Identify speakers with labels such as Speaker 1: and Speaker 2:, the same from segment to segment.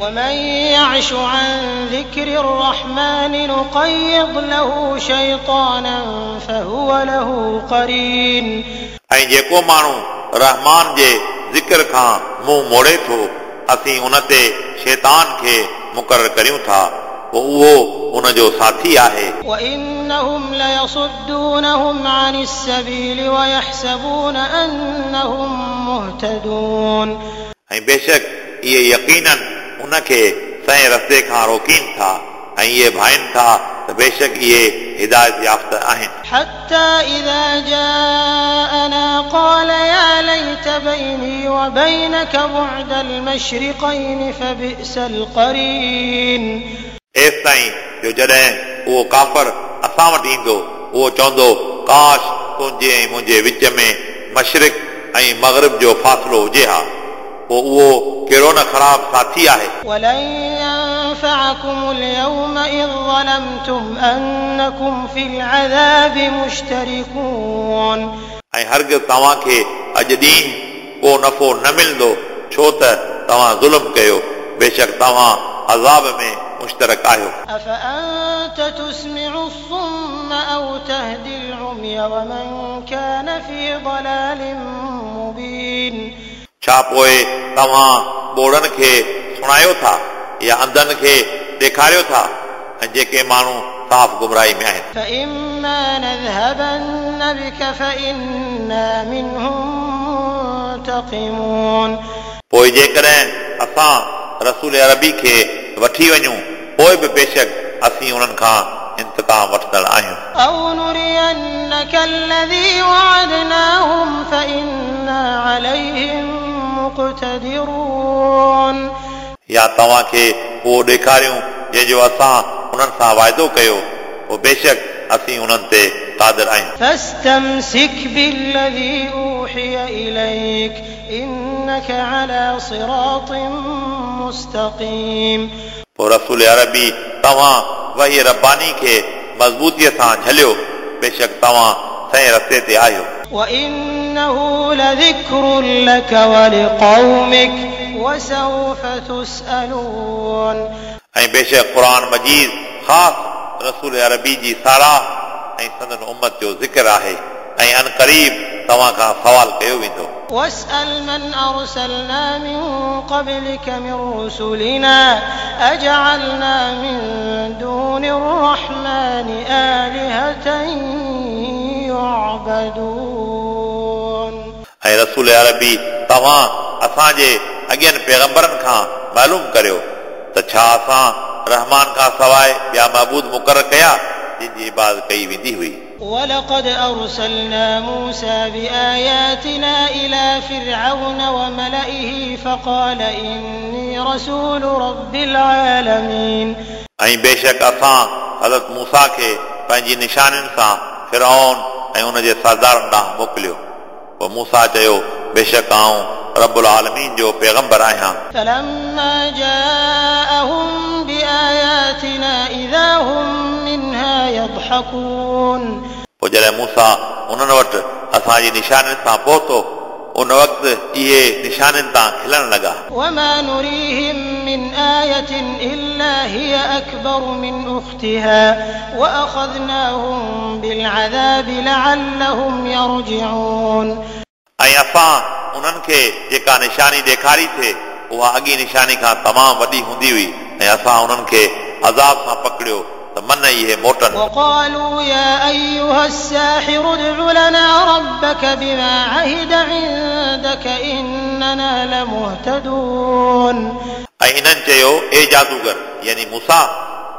Speaker 1: ومن يعش عن ذكر الرحمن نقيض له شيطانا فهو له قرين.
Speaker 2: ऐं जेको माण्हू रहमान जे ज़िक्र खां मुंहुं मोड़े थो, असीं उन ते शैतान खे मुक़ररु करियूं था, पोइ उहो उन जो साथी आहे।
Speaker 1: وإنهم ليصدونهم عن السبيل ويحسبون أنهم مهتدون.
Speaker 2: ऐं बेशक इहे यकीनन उनखे सही रस्ते खां रोकीनि था ऐं इहे भाइनि था त बेशक इहे हिदायत याफ़्ता आहिनि।
Speaker 1: حتى إذا جاءنا قال يا ليت بيني وبينك بعد المشرقين فبئس القرين.
Speaker 2: एसि ताईं जो जॾहिं उहो काफ़र असां वटि ईंदो, उहो चवंदो, काश तुंहिंजे ऐं मुंहिंजे विच में मशरिक ऐं मग़रिब जो फ़ासिलो हुजे हा, पोइ उहो कहिड़ो न ख़राब साथी आहे।
Speaker 1: ولن ينفعكم اليوم إذ ظلمتم أنكم في العذاب مشتركون.
Speaker 2: ऐं हरगिज़ तव्हांखे अॼु ॾींहुं को नफ़ो न मिलंदो, छो त तव्हां ज़ुल्म कयो, बेशक तव्हां अज़ाब में मुश्तरक आहियो।
Speaker 1: أفأنت تسمع الصم أو تهدي العمي ومن كان في ضلال مبين.
Speaker 2: छा पोइ तव्हां ॿोड़नि खे सुणायो था या अंधनि खे ॾेखारियो था, ऐं जेके माण्हू साफ़ गुमराही में आहिनि।
Speaker 1: فإما نذهبن بك فإنا منهم منتقمون.
Speaker 2: पोइ जेकॾहिं असां रसूल अरबी खे वठी वञूं, पोइ बि बेशक असीं उन्हनि खां इंतिकाम वठंदड़ आहियूं।
Speaker 1: أو نرينك الذي وعدناهم فإنا عليهم مقتدرون.
Speaker 2: या तव्हांखे उहो ॾेखारियूं जंहिंजो असां उन्हनि सां वाइदो कयो, पोइ बेशक असीं उन्हनि ते क़ादिर आहियूं।
Speaker 1: فاستمسك بالذي أوحي إليك إنك على صراط مستقيم.
Speaker 2: पोइ रसूल अरबी तव्हां वही रब्बानी खे मज़बूतीअ सां झलियो, बेशक तव्हां सही रस्ते ते आहियो।
Speaker 1: وإنه لذكر لك ولقومك وسوف تسألون.
Speaker 2: ऐं बेशक क़ुर मजीद ख़ासि रसूल अरबी जी साराह ऐं संदन उमत जो ज़िक्र आहे, ऐं अनक़रीब तव्हां खां सवाल कयो वेंदो।
Speaker 1: واسأل من أرسلنا من قبلك من رسلنا أجعلنا من دون الرحمن آلهة يعبدون.
Speaker 2: ऐं रसूल अरबी तव्हां असांजे अॻियनि पैगंबरनि खां मालूम करियो त छा असां रहमान खां सवाइ ॿिया महबूद मुक़ररु कया जिन जी इबादत कई वेंदी हुई।
Speaker 1: ولقد أرسلنا موسى بآياتنا إلى فرعون وملئه فقال إني رسول رب العالمين.
Speaker 2: ऐं बेशक असां हज़रत मूसा खे पंहिंजी निशानियुनि सां फिरौन ऐं उनजे सरदारनि ॾांहुं मोकिलियो। पोइ मूसा चयो, बेशक आउं रबुल आलमीन जो पैगंबर आहियां।
Speaker 1: فلما جاءهم بآياتنا إذا هم منها يضحكون.
Speaker 2: पोइ जॾहिं मूसा उन्हनि वटि असांजी निशानियुनि सां पहुतो, उन वक़्तु इहे निशानियुनि तां खिलणु लॻा।
Speaker 1: وما نريهم من آية إلا هي أكبر من أختها وأخذناهم بالعذاب لعلهم يرجعون.
Speaker 2: ऐं असां उन्हनि खे जेका निशानी ॾेखारी थिए, उहा अॻी निशानी खां तमामु वॾी हूंदी हुई, ऐं असां उन्हनि खे अज़ाब सां पकड़ियो त मन इहे मोटनि।
Speaker 1: وقالوا يا أيها الساحر ادع لنا ربك بما عهد عندك إننا لمهتدون.
Speaker 2: ऐं इन्हनि चयो, ए जादूगर यानी मूसा,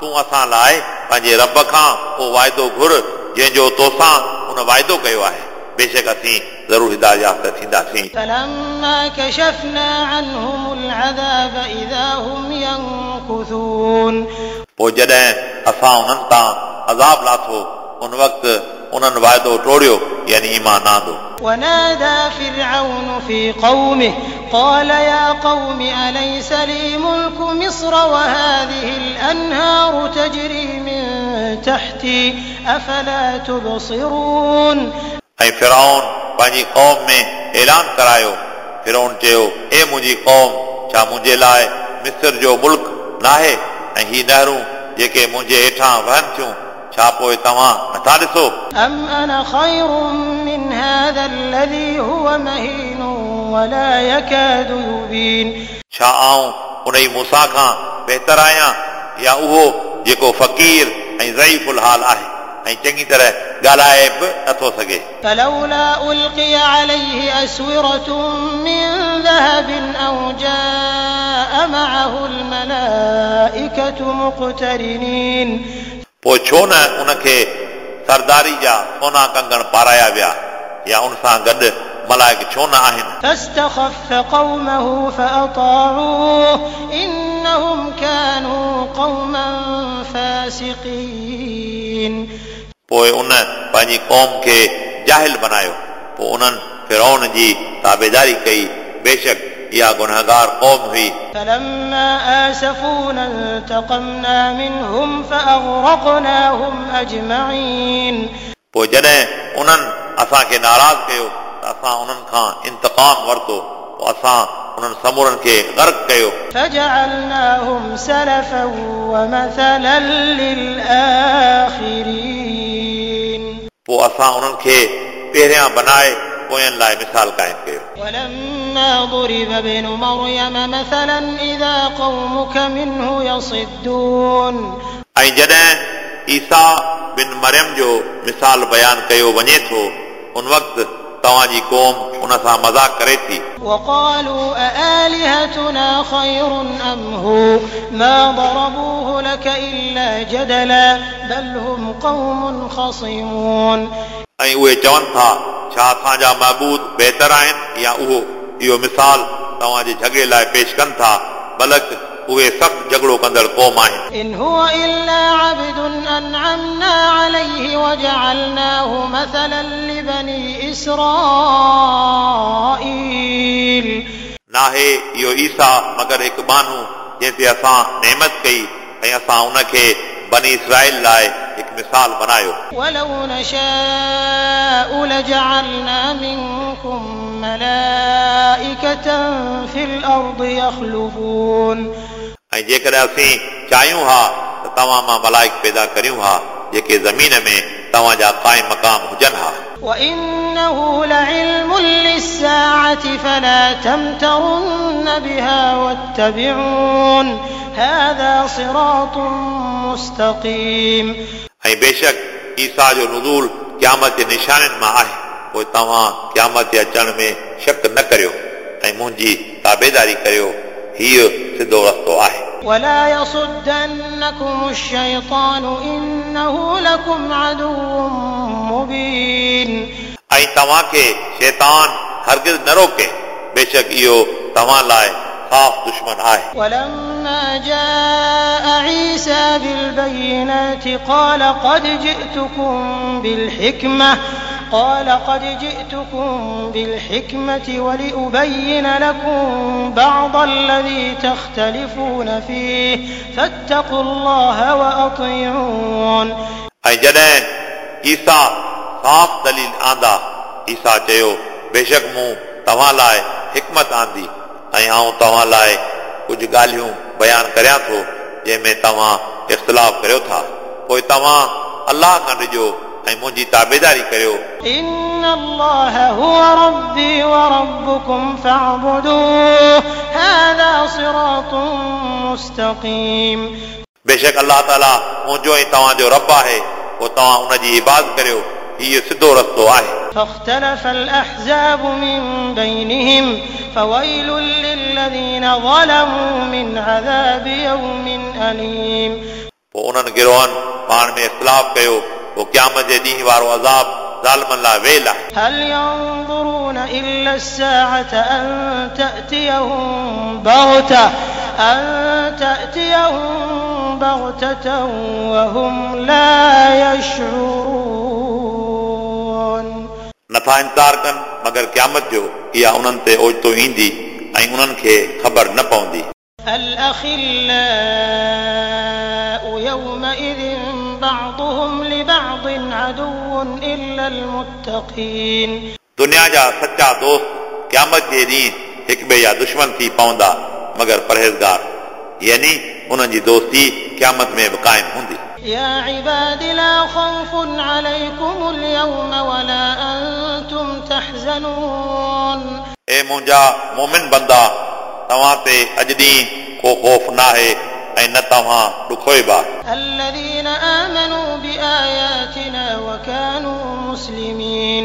Speaker 2: तूं असां लाइ पंहिंजे रब खां को वाइदो घुर जंहिंजो तोसां उन वाइदो कयो आहे, बेशक असीं ज़रूरु हिदायत याफ़्ता थींदासीं।
Speaker 1: فلما كشفنا عنهم العذاب إذا هم ينكثون.
Speaker 2: पोइ जॾहिं असां उन्हनि तां अज़ाब लाथो, उन वक़्तु उन्हनि वाइदो टोड़ियो, यानी ईमान न आंदो।
Speaker 1: ونادى فرعون في قومه قال يا قوم أليس لي ملك مصر وهذه الأنهار تجري من تحتي أفلا تبصرون.
Speaker 2: ऐं फिरौन पंहिंजी क़ौम में ऐलान करायो। फिरौन चयो, ए मुंहिंजी क़ौम, छा मुंहिंजे लाइ मिस्र जो मुल्क नाहे ऐं ही नहरूं जेके मुंहिंजे हेठां वहनि थियूं छा पोइ तव्हां नथा ॾिसो?
Speaker 1: أم أنا خير من هذا الذي هو مهين ولا يكاد يبين
Speaker 2: छा आऊं उन ई मूसा खां बहितर आहियां या उहो जेको फ़क़ीर ऐं ज़ईफ़ुल हाल आहे ऐं चङी तरह ॻाल्हाए बि नथो सघे।
Speaker 1: فلولا ألقي عليه أسورة من ذهب أو جاء معه الملائكة مقترنين
Speaker 2: पोइ छो न उनखे सरदारी जा सोना कंगण पाराया विया या उन सां गॾु मलाइक छो न आहिनि?
Speaker 1: فاستخف قومه فأطاعوه إنهم كانوا قوما فاسقين
Speaker 2: पोइ उन पंहिंजी क़ौम खे जाहिल बनायो, पोइ उन्हनि फिरौन जी ताबेदारी कई, बेशक इहा गुनहगार क़ौम हुई।
Speaker 1: فلما آسفونا انتقمنا منهم فأغرقناهم أجمعين
Speaker 2: पोइ जॾहिं उन्हनि असांखे नाराज़ कयो त असां उन्हनि खां इंतक़ाम वरितो, पोइ असां उन्हनि समूरनि खे गर्क कयो।
Speaker 1: فجعلناهم سلفا ومثلا للآخرين
Speaker 2: पोइ असां उन्हनि खे पहिरियां बनाए पोयनि लाइ मिसाल क़ाइमु कयो।
Speaker 1: ولما ضرب ابن مريم مثلا إذا قومك منه يصدون
Speaker 2: ऐं जॾहिं ईसा बिन मरियम जो मिसाल बयानु कयो वञे थो उन वक़्तु तव्हांजी क़ौम उन सां मज़ाक करे थी।
Speaker 1: وقالوا أآلهتنا خير أم هو ما ضربوه لك إلا جدلا بل هم قوم خصمون
Speaker 2: ऐं उहे चवनि था छा असांजा महबूद बहितर आहिनि या उहो? इहो मिसाल तव्हांजे झगड़े लाइ पेश कनि था, बल्कि उहे सख़्तु झगड़ो कंदड़ क़ौम आहिनि।
Speaker 1: إن هو إلا عبد أنعمنا عليه وجعلناه مثلا لبني إسرائيل
Speaker 2: नाहे इहो ईसा मगर हिकु बानू जंहिं ते असां नेमत कई ऐं असां उनखे बनी इसराईल लाइ हिकु मिसाल बनायो।
Speaker 1: ولو نشاء لجعلنا منكم ملائكة في الأرض يخلفون
Speaker 2: ऐं जेकॾहिं असीं चाहियूं हा त तव्हां मां मलाइक पैदा करियूं हा जेके ज़मीन में तव्हांजा क़ाइम मक़ाम हुजनि हा।
Speaker 1: وإنه لعلم للساعة فلا تمترن بها واتبعون هذا صراط مستقيم
Speaker 2: ऐं बेशक ईसा जो नुज़ूल क़यामत जे निशाननि मां आहे, पोइ तव्हां क़यामत जे अचण में शक न करियो ऐं मुंहिंजी ताबेदारी करियो, हीउ सिधो रस्तो आहे।
Speaker 1: ولا يصدنكم الشيطان إنه لكم عدو مبين
Speaker 2: ऐं तव्हांखे शैतान हरगिज़ न रोके, बेशक इहो तव्हां लाइ साफ़ दुश्मन आहे।
Speaker 1: ولما جاء عيسى بالبينات قال قد جئتكم بالحكمة ولأبين لكم بعض الذي تختلفون فيه فاتقوا الله وأطيعون
Speaker 2: ऐं जॾहिं ईसा साफ़ दलील आंदा, ईसा चयो बेशक मूं तव्हां लाइ हिकमत आंदी ऐं आउं तव्हां लाइ कुझु ॻाल्हियूं बयानु करियां थो जंहिंमें तव्हां इख़्तिलाफ़ करियो था, पोइ तव्हां अलाह खां ॾिजो ऐं मुंहिंजी ताबेदारी करियो।
Speaker 1: إن الله هو ربي وربكم فاعبدوه هذا صراط مستقيم
Speaker 2: बेशक अलाह ताला मुंहिंजो ऐं तव्हांजो रब आहे, पोइ तव्हां उन जी इबादत करियो, हीउ सिधो रस्तो आहे।
Speaker 1: فاختلف الأحزاب من بينهم فويل للذين ظلموا من عذاب يوم أليم
Speaker 2: पोइ उन्हनि गिरोहनि पाण में इख़्तिलाफ़ कयो, पोइ क़यामत जे ॾींहुं वारो अज़ाब ज़ालिमनि लाइ वेल आहे।
Speaker 1: هل ينظرون إلا الساعة أن تأتيهم بغتة وهم لا يشعرون
Speaker 2: नथा इंतज़ार कनि मगर क़यामत जो इहा उन्हनि ते ओचितो ईंदी ऐं उन्हनि खे ख़बर न पवंदी।
Speaker 1: الأخلاء يومئذ بعضهم لبعض عدو إلا المتقين
Speaker 2: दुनिया जा सच्चा दोस्त क़यामत जे ॾींहुं हिक ॿिए जा दुश्मन थी पवंदा मगर परहेज़गार। यानी उन्हनि जी दोस्ती क़यामत में बि क़ाइमु हूंदी।
Speaker 1: يا عباد لا خوف عليكم اليوم ولا أنتم تحزنون.
Speaker 2: ए मुंहिंजा मोमिन बंदा, तव्हां ते अॼु ॾींहुं को ख़ौफ़ नाहे ऐं न तव्हां ॾुखोइबा।
Speaker 1: الذين آمنوا بآياتنا وكانوا مسلمين.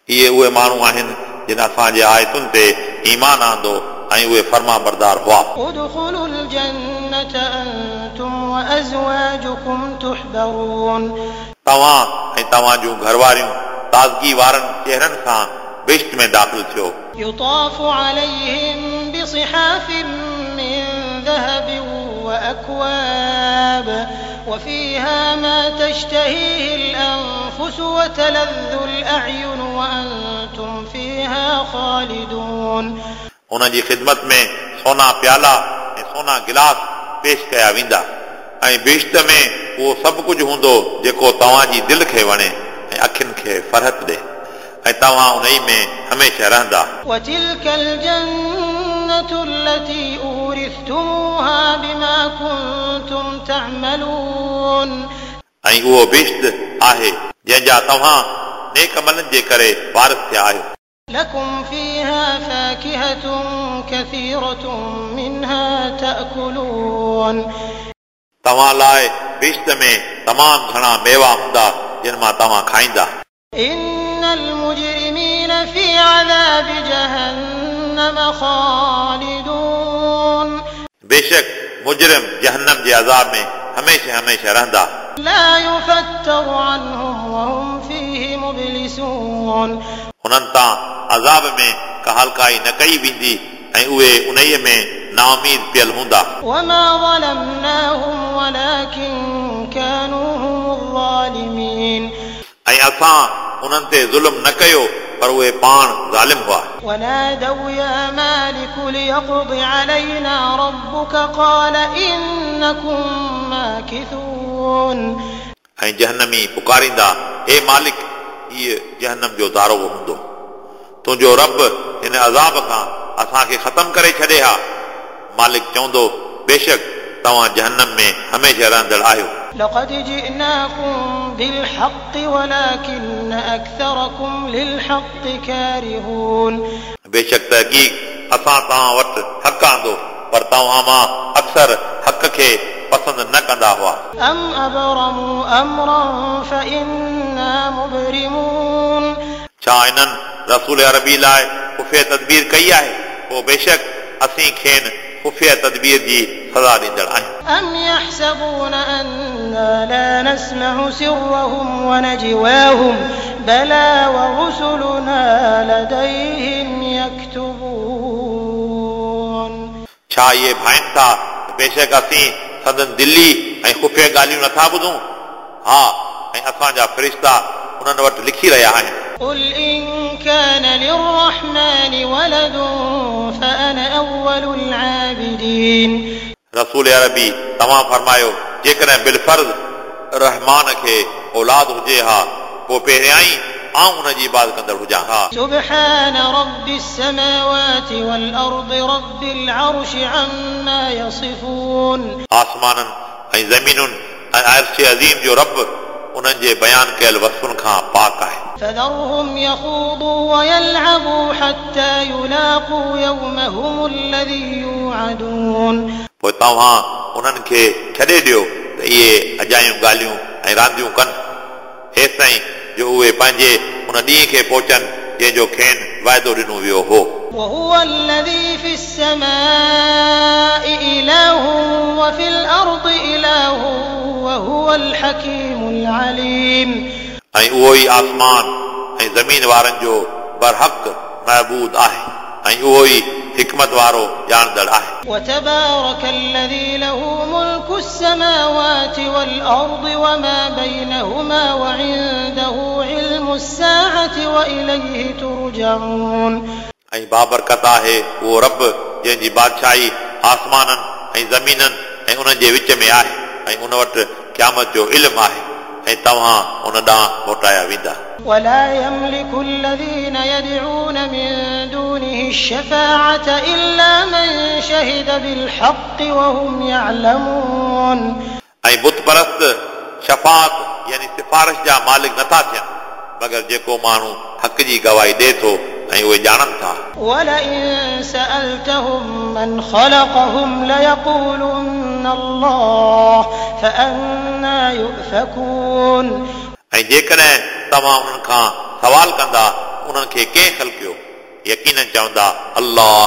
Speaker 2: इहे उहे माण्हू आहिनि जिन असांजे आयतुनि ते ईमान आंदो ऐं उहे फर्मा बरदार हुआ।
Speaker 1: ادخلوا الجنة أنتم وأزواجكم تحبرون.
Speaker 2: तव्हां ऐं तव्हां जूं घरवारियूं ताज़गी वारनि चेहरनि सां बहिश्त में दाख़िल थियो।
Speaker 1: يطاف عليهم بصحاف من ذهب وأكواب وفيها ما تشتهيه الأنفس وتلذ الأعين وأنتم فيها خالدون.
Speaker 2: उन्हनि जी ख़िदमत में सोना प्याला ऐं सोना गिलास पेश कया वेंदा ऐं बहिश्त में उहो सभु कुझु हूंदो जेको तव्हांजी दिलि खे वणे ऐं अखियुनि खे फरहत ॾे ऐं तव्हां उन में हमेशह रहंदा।
Speaker 1: وتلك الجنة التي أورثتموها بما كنتم تعملون.
Speaker 2: ऐं उहो बहिश्त आहे जंहिंजा तव्हां नेक अमलनि जे करे वारिस थिया आहियो।
Speaker 1: لكم فيها فاكهة كثيرة منها تأكلون.
Speaker 2: तव्हां लाइ बहिश्त में तमामु घणा मेवा हूंदा जिन मां तव्हां खाईंदा।
Speaker 1: إن المجرمين في عذاب جهنم خالدون.
Speaker 2: बेशक मुजरिम जहन्नम जे अज़ाब में हमेशह हमेशह रहंदा।
Speaker 1: لا يفتر عنهم وهم فيه مبلسون.
Speaker 2: हुननि तां अज़ाब में का हल्काई न कई वेंदी ऐं उहे उन में नाउमीद पियल हूंदा।
Speaker 1: وما ظلمناهم ولكن كانوا هم الظالمين.
Speaker 2: ऐं असां उन्हनि ते ज़ुल्म न कयो पर उहे पाण ज़ालिम हुआ।
Speaker 1: ونادوا يا مالك ليقض علينا ربك قال إنكم ماكثون.
Speaker 2: ऐं जहन्नमी पुकारींदा, हे मालिक, हीअ जहन्नम जो दारोगो हूंदो, तुंहिंजो रब हिन अज़ाब खां असांखे ख़तमु करे छॾे हा। मालिक चवंदो, बेशक तव्हां जहन्नम में हमेशह रहंदड़ आहियो।
Speaker 1: لقد جئناكم بالحق ولكن أكثركم للحق كارهون.
Speaker 2: बेशक तहक़ीक़ असां तव्हां वटि हक़ आंदो पर तव्हां मां अक्सर हक़ खे पसंदि न कंदा हुआ।
Speaker 1: أم أبرموا أمرا فإنا مبرمون.
Speaker 2: छा इन्हनि रसूल अरबी लाइ ख़ुफ़िया तदबीर कई आहे? पोइ बेशक असीं खेनि ख़ुफ़िया तदबीर जी सज़ा ॾींदड़ आहियूं।
Speaker 1: أم يحسبون أنا لا نسمع سرهم ونجواهم بلى ورسلنا لديهم يكتبون.
Speaker 2: छा इहे भाइनि था त बेशक असीं संदन दिली ऐं ख़ुफ़िया ॻाल्हियूं नथा ॿुधूं? हा, ऐं असांजा फ़रिश्ता उन्हनि वटि लिखी रहिया आहिनि।
Speaker 1: قل إن كان للرحمن ولد فأنا أول العابدين.
Speaker 2: रसूल अरबी तव्हां फरमायो, जेकॾहिं बिलफ़र्ज़ रहमान खे औलाद हुजे हा पोइ पहिरियां ई आउं उन जी इबादत कंदड़ हुजां हा।
Speaker 1: سبحان رب السماوات والأرض رب العرش عما يصفون.
Speaker 2: आसमाननि ऐं ज़मीनुनि ऐं अर्श अज़ीम जो रब उन्हनि जे बयानु कयल वस्फ़ुनि खां पाक आहे।
Speaker 1: فذرهم يخوضوا ويلعبوا حتى يلاقوا يومهم الذي يوعدون.
Speaker 2: पोइ तव्हां उन्हनि खे छॾे ॾियो त इहे अजायूं ॻाल्हियूं ऐं रांदियूं कनि हेसिताईं जो उहे पंहिंजे उन ॾींहं खे पहुचनि जंहिंजो खेनि वाइदो ॾिनो वियो हो।
Speaker 1: وهو الذي في السماء إله وفي الأرض إله وهو الحكيم العليم.
Speaker 2: ऐं उहो ई आसमान ऐं ज़मीन वारनि जो बरहक़ महबूद आहे ऐं उहो ई हिकमत वारो ॼाणंदड़ आहे।
Speaker 1: وتبارك الذي له ملك السماوات والأرض وما بينهما وعنده علم الساعة وإليه ترجعون.
Speaker 2: ऐं बाबरकत आहे उहो रब जंहिंजी बादशाही आसमाननि ऐं ज़मीननि ऐं उन्हनि जे विच में आहे ऐं उन वटि क़यामत जो इल्मु आहे ऐं तव्हां उन ॾांहुं मोटाया वेंदा।
Speaker 1: ولا يملك الذين يدعون من دونه الشفاعة إلا من شهد بالحق وهم يعلمون।
Speaker 2: ऐं बुत परस्त शफ़ात यानी सिफारिश जा मालिक नथा थियनि, मगर जेको माण्हू हक़ जी गवाही ॾिए थो ऐं उहे ॼाणनि था।
Speaker 1: ولئن سألتهم من خلقهم ليقولن الله فأنى يؤفكون।
Speaker 2: ऐं जेकॾहिं तव्हां उन्हनि खां सवाल कंदा उन्हनि खे कंहिं ख़लकियो, यकीनन चवंदा अल्लाह,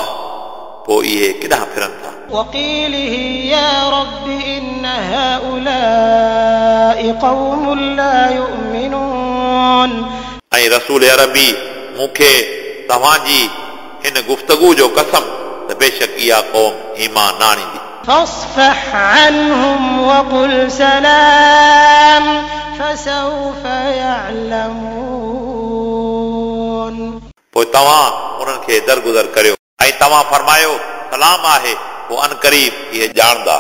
Speaker 2: पोइ इहे केॾांहुं फिरनि था।
Speaker 1: وقيله يا رب إن هؤلاء قوم لا يؤمنون।
Speaker 2: ऐं रसूल अरबी मूंखे तव्हांजी हिन गुफ़्तगू जो कसम त बेशक इहा क़ौम ईमान न आणींदी।
Speaker 1: فاصفح عنهم وقل سلام فسوف يعلمون।
Speaker 2: पोइ तव्हां उन्हनि खे दरगुज़र करियो ऐं तव्हां फरमायो सलाम आहे, पोइ अनक़रीब इहे ॼाणंदा।